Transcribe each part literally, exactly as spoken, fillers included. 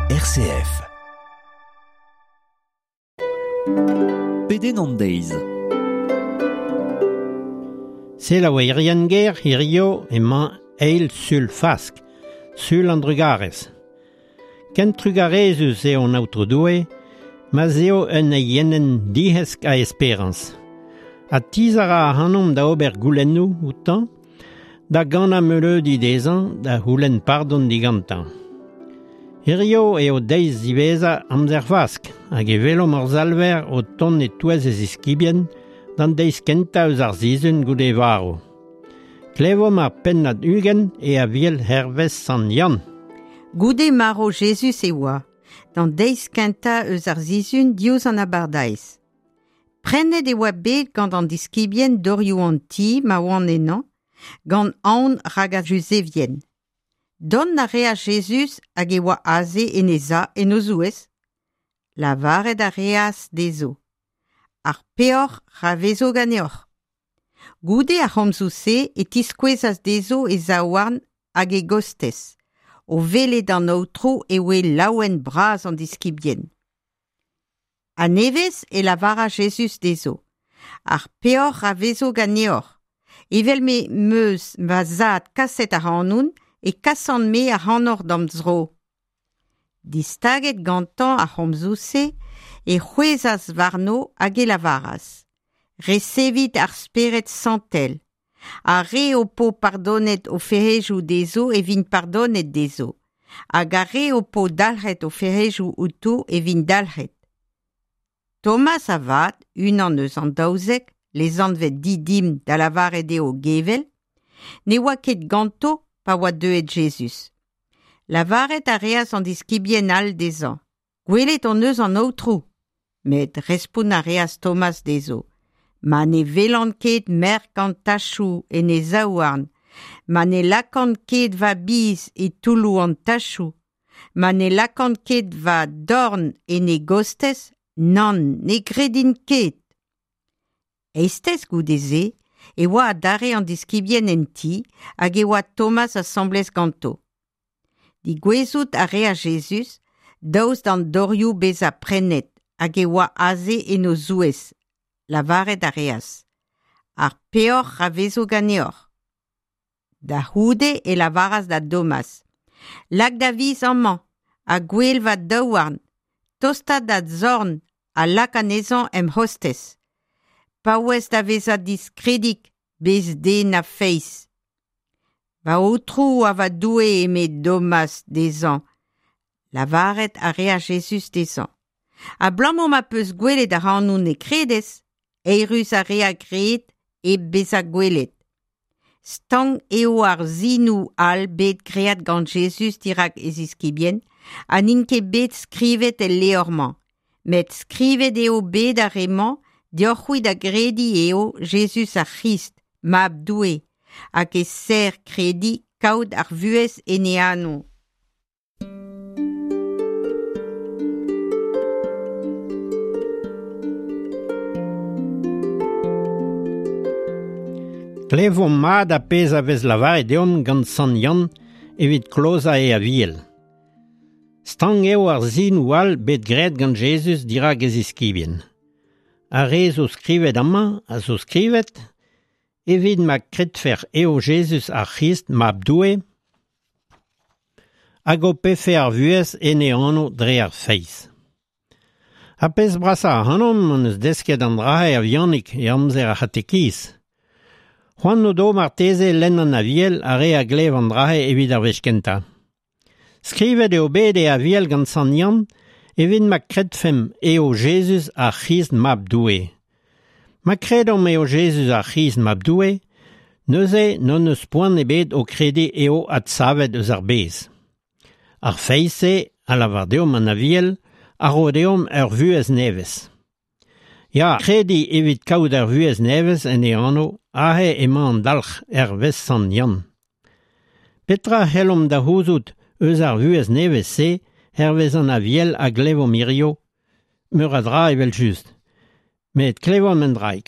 R C F. Pedenn an deiz. Selaouerien ger hirio emañ eil sul Fask, sul an drugarez. Ken trugarezus eo an aotrou Doue, ma 'z eo un eienenn dihesk a esperañs. Ha tizh a ra ac'hanomp da ober goulennoù outañ, da ganañ meuleudi dezhañ, da c'houlenn pardon digantañ. Hirio eo deiz ziwezhañ amzer Fask, hag e welomp hor Salver o tont e-touez e ziskibien d'an deiz kentañ eus ar sizhun goude e varv. Klevomp ar pennad ugent e Aviel hervez Sant Yann. Goude marv Jezuz e oa, d'an deiz kentañ eus ar sizhun diouzh an abardaez. Prennet e oa bet gant an diskibien dorioù an ti ma oant ennañ, gant aon rak ar Juzevien. Dont a reas Jezuz hag e oa aze en e za en o zouez. Lavaret a reas dezho. Ar peoc'h ra vezo ganeoc'h. Goude ar c'homzoù-se e tiskouezas dezho e zaouarn hag e gostez. O welet an aotrou e oe laouen bras an diskibien. A-nevez e lavara Jezuz dezho. Ar peoc'h ra vezo ganeoc'h. Evel me 'm eus va zad kaset ac'hanoun, e kasan-me ac'hanoc'h d'am zro. Distaget gantañ ar c'homzoù-se, e c'hwezhas warno hag e lavaras. Resevit ar Spered Santel. Ar re ho po pardonet o fec'hedoù dezho e vint pardonet dezho. Hag ar re ho po dalc'het o fec'hedoù outo e vint dalc'het. Thomas avat, unan eus an daouzek, lesanvet Didim da lavaret eo gevel, ne oa ket ganto pa oa deuet Jezuz. Lavaret a reas an diskibien all dezhañ. Gwelet hon eus an aotrou. Met respont a reas Thomas dezho. Ma ne welan ket merk an tachoù en e zaouarn, ma ne lakan ket va biz e toulloù an tachoù, ma ne lakan ket va dorn en e gostez, nann, ne gredin ket. Eizhtez goude-se, e oa adarre an diskibien en ti hag e oa Thomas asambles ganto. Digouezout a reas Jezuz, daoust d'an dorioù bezañ prennet hag e oa aze en o zouez. Lavaret a reas. Ar peoc'h ra vezo ganeoc'h. Da c'houde e lavaras da Thomas. Lak da viz amañ, ha gwel va daouarn, tosta da zorn ha lak anezhañ em c'hostez. Paouez da vezañ diskredik, bez den a feiz. Va aotrou ha va Doue eme Thomas dezhañ. Lavaret a reas Jezuz dezhañ. Abalamour ma peus gwelet ac'hanoun e kredez, eürus ar re a gred hep bezañ gwelet. Stank eo ar sinoù all bet graet gant Jezuz dirak e ziskibien, ha n'int ket bet skrivet el levr-mañ. Met skrivet eo bet ar re-mañ deoc'h-c'hwi da grediñ eo Jezuz ar C'hrist, mab Doue, hag e ser krediñ kaout ar vuhez en e anv. Klevomp mat ar pezh a vez lavaret deomp gant Sant Yann evit klozañ e Aviel. Stank eo ar sinoù all bet graet gant Jezuz dirak e ziskibien. Ar re zo skrivet amañ a zo skrivet evit ma kredfec'h eo Jezuz ar C'hrist mab Doue hag ho pefe ar vuhez en e anv dre ar feiz. Ar pezh brasañ ac'hanomp hon eus desket an dra-se a-vihanik e amzer ar c'hatekiz. C'hoant o do marteze lenn an Aviel ar re a glev an dra-se evit ar wech kentañ. Skrivet eo bet e Aviel gant Sant Yann evit ma kredfemp eo Jezuz ar C'hrist mab Doue. Ma kredomp eo Jezuz ar C'hrist mab Doue, neuze n'hon eus poan ebet o krediñ eo adsavet eus ar bez. Ar feiz-se, a lavar deomp an Aviel, a ro deomp ur vuhez nevez. Ya, krediñ evit kaout ar vuhez nevez en e anv, aze emañ an dalc'h hervez Sant Yann. Petra c'hellomp da c'houzout eus ar vuhez nevez-se hervez an Aviel a glevomp hirio, meur a dra evel-just. Met klevomp un draig.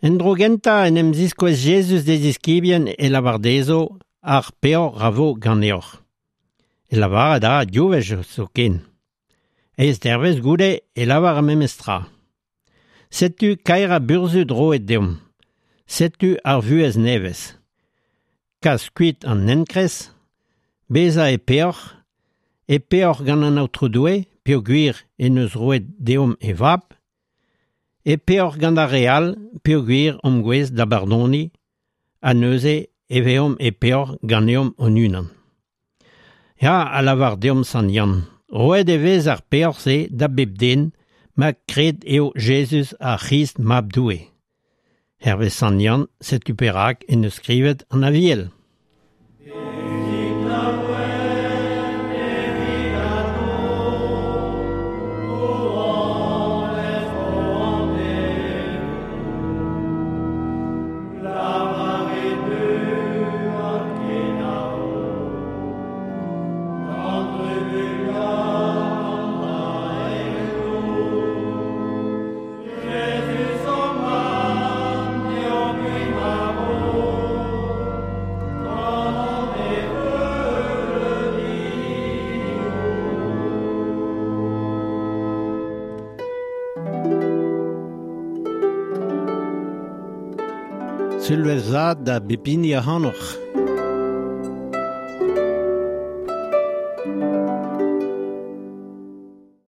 En dro gentañ en em ziskouez Jezuz d'e ziskibien e lavar dezho ar peoc'h ra vo ganeoc'h. E lavaret a ra div wech zoken. Eizh dervezh goude e lavar ar memes tra. Setu kaerañ burzhud roet deomp. Setu ar vuhez nevez. Kas kuit an enkrez, bezañ e peoc'h, e peoc'h gant an Aotrou Doue, peogwir en deus roet deomp e vab, e peoc'h gant ar re all, peogwir omp gouest da bardoniñ, ha neuze e vezomp e peoc'h ganeomp hon-unan. Ya, a lavar deomp Sant Yann, roet e vez ar peoc'h-se da bep den ma kred eo Jezuz ar C'hrist mab Doue. Hervez Sant Yann, setu perak en deus skrivet an Aviel. Sulvezh vat da bep hini ac'hanoc'h.